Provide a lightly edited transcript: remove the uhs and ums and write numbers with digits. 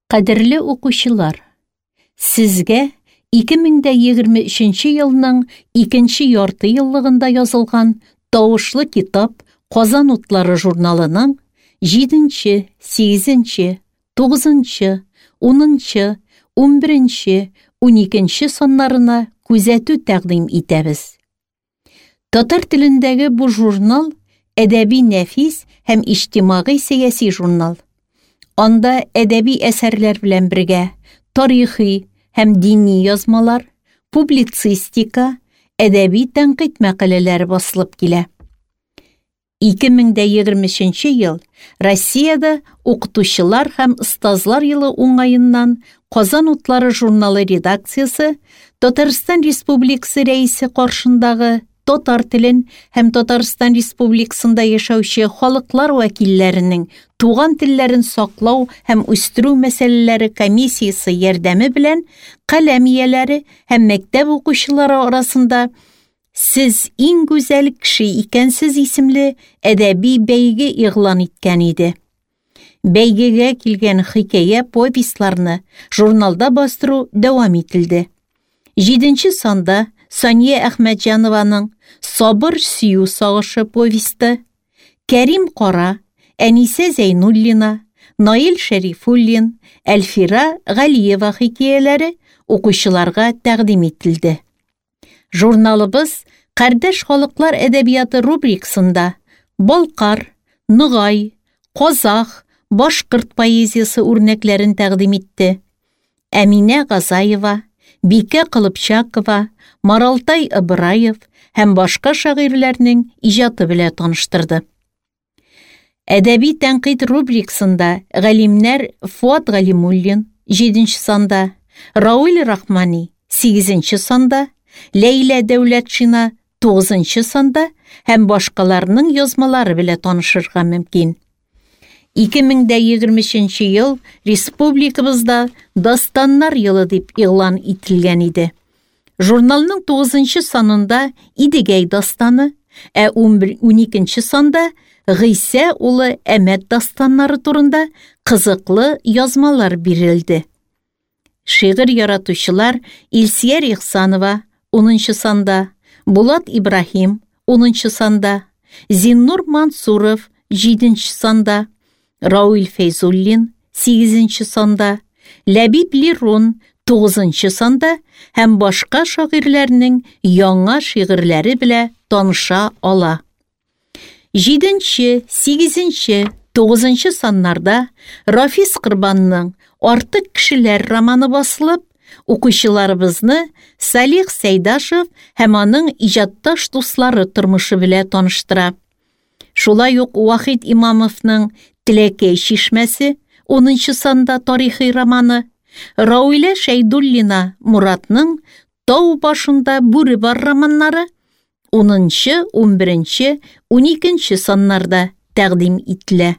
Кадерле укучылар, сезгә 2023 елның икенче ярты еллыгында язылган Тавышлы китап Казан утлары журналының 7, 8, 9, 10, 11, 12 саннарына күзәтү тәкъдим итәбез. Татар телендәге бу журнал әдәби нәфис һәм иҗтимагый-сәяси журнал. Анда әдәби әсәрләр белән бергә тарихи һәм дини язмалар, публицистика, әдәби тәнкыйть мәкаләләре басылып килә. 2023 ел Россиядә укытучылар һәм остазлар елы уңаеннан Казан утлары журналы редакциясе Татарстан Республикасы Рәисе каршындагы татар телен һәм Татарстан Республикасында яшәүче халыклар вәкилләренең туган телләрен саклау һәм үстерү мәсьәләләре комиссиясе ярдәме белән каләм ияләре һәм мәктәп укучылары арасында Сез иң гүзәл кеше икәнсез исемле әдәби бәйге игълан иткән иде. Бәйгегә килгән хикәя повестьларны журналда бастыру дәвам ителде. Җиденче санда Сания Әхмәтҗанованың Сабыр сөю сагышы повесте, Кәрим Кара, Әнисә Зәйнуллина, Наил Шәрифуллин, Әлфира Галиева хикәяләре укучыларга тәкъдим ителде. Журналыбыз Кардәш халыклар әдәбияты рубрикасында балкар, ногай, казах, башкорт поэзиясе үрнәкләрен тәкъдим итте. Әминә Газаева, Бикә Колыпчакова, Маралтай Ыбыраев һәм башка шагыйрьләрнең иҗаты белән таныштырды. Әдәби тәнкыйть рубрикасында галимнәр Фуат Галимуллин, 7 санда, Рауил Рахмани, 8 санда, Ләйлә Дәүләтшина, 9 санда һәм башкаларның язмалары белән танышырга мөмкин. 2023 ел республикабызда Дастаннар елы дип игълан ителгән иде. Журналның 9 санында Идегәй дастаны, ә 11-12 санда Гыйсә улы Әмәт дастаннары турында кызыклы язмалар бирелде. Шигырь яратучылар Илсияр Ихсанова 10 санда, Булат Ибраһим 10 санда, Зиннур Мансуров 7 санда, Рауил Фәйзуллин 8 санда, Ләбиб Лерон 9 санда һәм башка шагыйрьләрнең яңа шигырьләре белән таныша ала. 7, 8, 9 саннарда Рафис Корбанның Артык кешеләр романы басылып, укучыларыбызны Салих Сәйдашев һәм аның иҗатташ дуслары тормышы белән таныштыра. Шулай ук Вахит Имамовның Теләкәй чишмәсе 10 санда тарихи романы, Рауилә Шәйдуллина Муратның Тау башында бүре бар романнары 10, 11, 12 саннарда тәкъдим ителә.